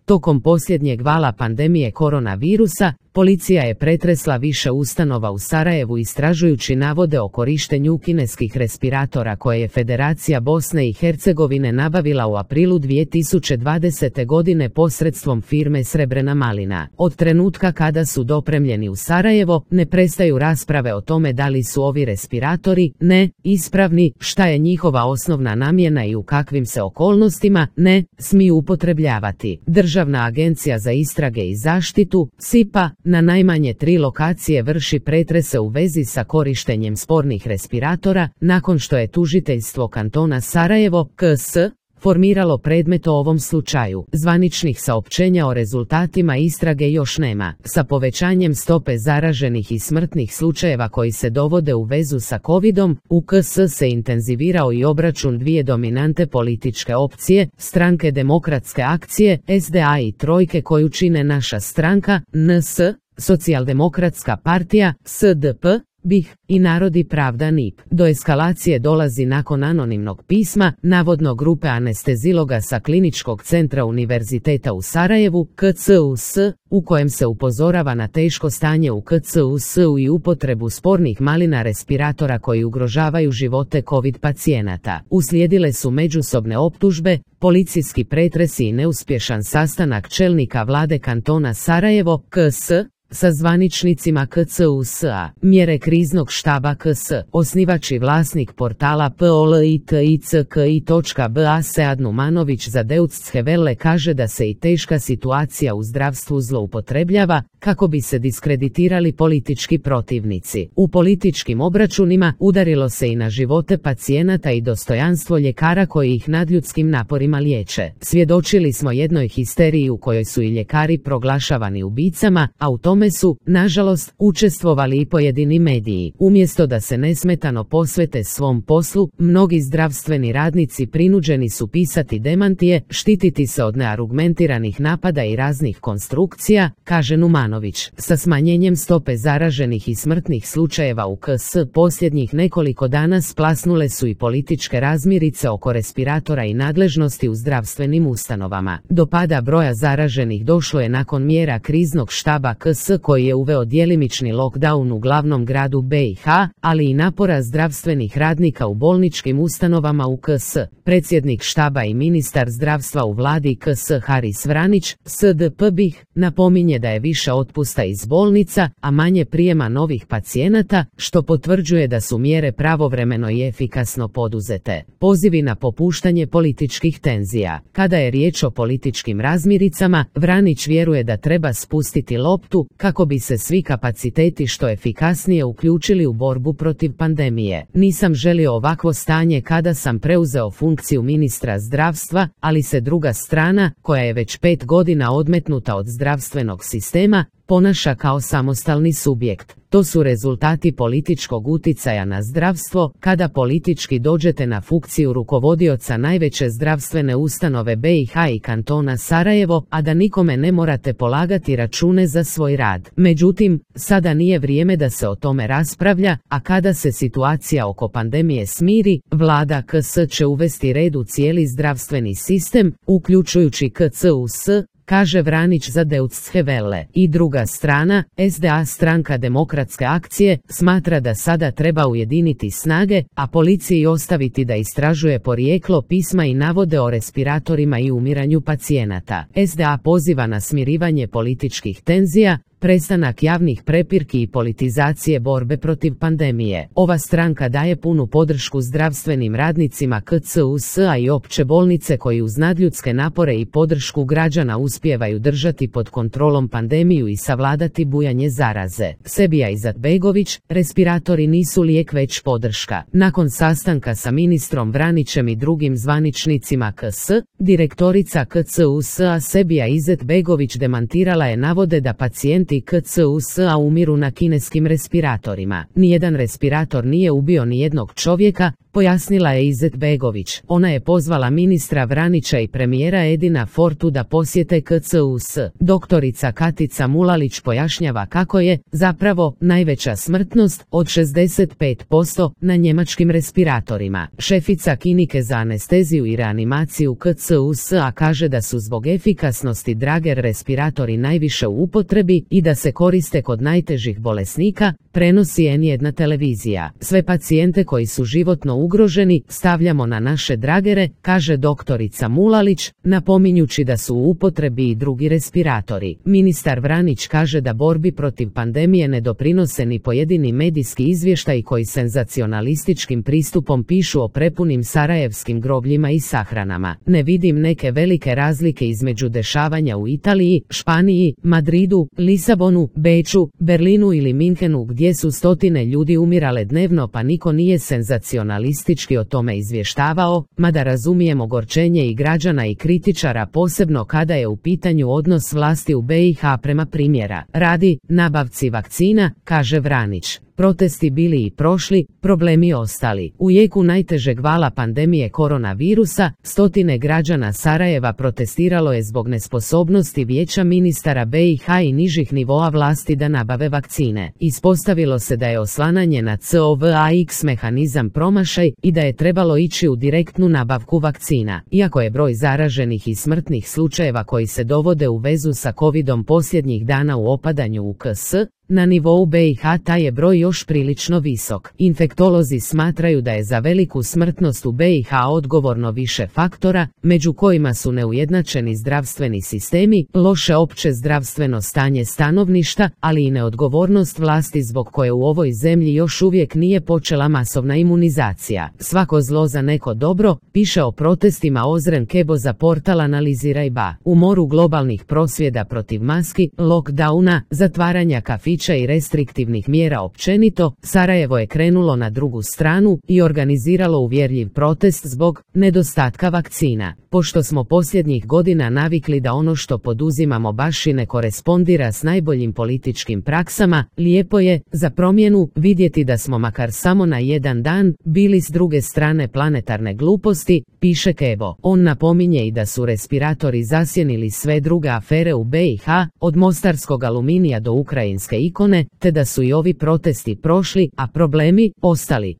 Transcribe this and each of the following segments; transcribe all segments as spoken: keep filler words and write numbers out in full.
Tokom posljednjeg vala pandemije koronavirusa, policija je pretresla više ustanova u Sarajevu istražujući navode o korištenju kineskih respiratora koje je Federacija Bosne i Hercegovine nabavila u aprilu dvije tisuće dvadesete godine posredstvom firme Srebrena malina. Od trenutka kada su dopremljeni u Sarajevo, ne prestaju rasprave o tome da li su ovi respiratori, ne, ispravni, šta je njihova osnovna namjena i u kakvim se okolnostima, ne, smiju upotrebljavati. Državna agencija za istrage i zaštitu, SIPA, na najmanje tri lokacije vrši pretrese u vezi sa korištenjem spornih respiratora, nakon što je tužiteljstvo kantona Sarajevo, K S, formiralo predmet o ovom slučaju. Zvaničnih saopćenja o rezultatima istrage još nema. Sa povećanjem stope zaraženih i smrtnih slučajeva koji se dovode u vezu sa covidom, u K S se intenzivirao i obračun dvije dominante političke opcije, Stranke demokratske akcije, S D A i Trojke koju čine Naša stranka, N S, Socijaldemokratska partija, S D P, B I H i Narod i pravda N I P. Do eskalacije dolazi nakon anonimnog pisma, navodno grupe anesteziloga sa Kliničkog centra Univerziteta u Sarajevu, K C U S, u kojem se upozorava na teško stanje u K C U S-u i upotrebu spornih malina respiratora koji ugrožavaju živote COVID pacijenata. Uslijedile su međusobne optužbe, policijski pretresi i neuspješan sastanak čelnika vlade kantona Sarajevo, K S, sa zvaničnicima K C U S-a. Mjere kriznog štaba K S, osnivač i vlasnik portala politicki točka b a Sead Numanović za Deutsche Welle kaže da se i teška situacija u zdravstvu zloupotrebljava kako bi se diskreditirali politički protivnici. U političkim obračunima udarilo se i na živote pacijenata i dostojanstvo ljekara koji ih nadljudskim naporima liječe. Svjedočili smo jednoj histeriji u kojoj su i ljekari proglašavani ubicama, a u tome su, nažalost, učestvovali i pojedini mediji. Umjesto da se nesmetano posvete svom poslu, mnogi zdravstveni radnici prinuđeni su pisati demantije, štititi se od neargumentiranih napada i raznih konstrukcija, kaže Numanović. Sa smanjenjem stope zaraženih i smrtnih slučajeva u K S posljednjih nekoliko dana splasnule su i političke razmirice oko respiratora i nadležnosti u zdravstvenim ustanovama. Do pada broja zaraženih došlo je nakon mjera kriznog štaba K S koji je uveo djelimični lockdown u glavnom gradu B i H, ali i napora zdravstvenih radnika u bolničkim ustanovama u K S. Predsjednik štaba i ministar zdravstva u vladi K S Haris Vranić, S D P B I H, napominje da je više otpusta iz bolnica, a manje prijema novih pacijenata, što potvrđuje da su mjere pravovremeno i efikasno poduzete. Pozivi na popuštanje političkih tenzija. Kada je riječ o političkim razmiricama, Vranić vjeruje da treba spustiti loptu kako bi se svi kapaciteti što efikasnije uključili u borbu protiv pandemije. Nisam želio ovakvo stanje kada sam preuzeo funkciju ministra zdravstva, ali se druga strana, koja je već pet godina odmetnuta od zdravstvenog sistema, ponaša kao samostalni subjekt. To su rezultati političkog uticaja na zdravstvo. Kada politički dođete na funkciju rukovodioca najveće zdravstvene ustanove B i H i kantona Sarajevo, a da nikome ne morate polagati račune za svoj rad. Međutim, sada nije vrijeme da se o tome raspravlja, a kada se situacija oko pandemije smiri, vlada K S će uvesti red u cijeli zdravstveni sistem, uključujući K C U S, kaže Vranić za Deutsche Welle. I druga strana, S D A Stranka demokratske akcije, smatra da sada treba ujediniti snage, a policiji ostaviti da istražuje porijeklo pisma i navode o respiratorima i umiranju pacijenata. S D A poziva na smirivanje političkih tenzija, prestanak javnih prepirki i politizacije borbe protiv pandemije. Ova stranka daje punu podršku zdravstvenim radnicima K C U S-a i opće bolnice koji uz nadljudske napore i podršku građana uspijevaju držati pod kontrolom pandemiju i savladati bujanje zaraze. Sebija Izetbegović, respiratori nisu lijek već podrška. Nakon sastanka sa ministrom Vranićem i drugim zvaničnicima K S, direktorica K C U S-a Sebija Izetbegović demantirala je navode da pacijenti pacijenti K C U S-a umiru na kineskim respiratorima. Nijedan respirator nije ubio nijednog čovjeka, pojasnila je Izet Begović. Ona je pozvala ministra Vranića i premijera Edina Fortu da posjete K C U S. Doktorica Katica Mulalić pojašnjava kako je, zapravo, najveća smrtnost, od šezdeset pet posto, na njemačkim respiratorima. Šefica klinike za anesteziju i reanimaciju K C U S-a kaže da su zbog efikasnosti Drager respiratori najviše u upotrebi i da se koriste kod najtežih bolesnika, prenosi N jedan televizija. Sve pacijente koji su životno ugroženi stavljamo na naše Dragere, kaže doktorica Mulalić, napominjući da su u upotrebi i drugi respiratori. Ministar Vranić kaže da borbi protiv pandemije ne doprinose ni pojedini medijski izvještaji koji senzacionalističkim pristupom pišu o prepunim sarajevskim grobljima i sahranama. Ne vidim neke velike razlike između dešavanja u Italiji, Španiji, Madridu, Lisabonu, Beču, Berlinu ili Minhenu gdje su stotine ljudi umirale dnevno pa niko nije senzacionalistički o tome izvještavao, mada razumijem ogorčenje i građana i kritičara posebno kada je u pitanju odnos vlasti u B i H prema primjera radi nabavci vakcina, kaže Vranić. Protesti bili i prošli, problemi ostali. U jeku najtežeg vala pandemije koronavirusa, stotine građana Sarajeva protestiralo je zbog nesposobnosti vijeća ministara B i H i nižih nivoa vlasti da nabave vakcine. Ispostavilo se da je oslanjanje na C O V A X mehanizam promašaj i da je trebalo ići u direktnu nabavku vakcina. Iako je broj zaraženih i smrtnih slučajeva koji se dovode u vezu sa covidom posljednjih dana u opadanju u K S, na nivou B i H taj je broj još prilično visok. Infektolozi smatraju da je za veliku smrtnost u B i H odgovorno više faktora, među kojima su neujednačeni zdravstveni sistemi, loše opće zdravstveno stanje stanovništva, ali i neodgovornost vlasti zbog koje u ovoj zemlji još uvijek nije počela masovna imunizacija. Svako zlo za neko dobro, piše o protestima Ozren Kebo za portal Analiziraj ba. U moru globalnih prosvjeda protiv maski, lockdowna, zatvaranja kafića i restriktivnih mjera općenito, Sarajevo je krenulo na drugu stranu i organiziralo uvjerljiv protest zbog nedostatka vakcina. Pošto smo posljednjih godina navikli da ono što poduzimamo baš i ne korespondira s najboljim političkim praksama, lijepo je, za promjenu, vidjeti da smo makar samo na jedan dan bili s druge strane planetarne gluposti, piše Kebo. On napominje i da su respiratori zasjenili sve druge afere u B i H, od mostarskog aluminija do ukrajinske ikone, te da su i ovi protesti prošli, a problemi ostali.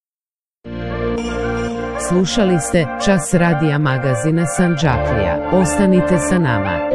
Slušali ste Čas radija magazina Sandžaklija. Ostanite sa nama.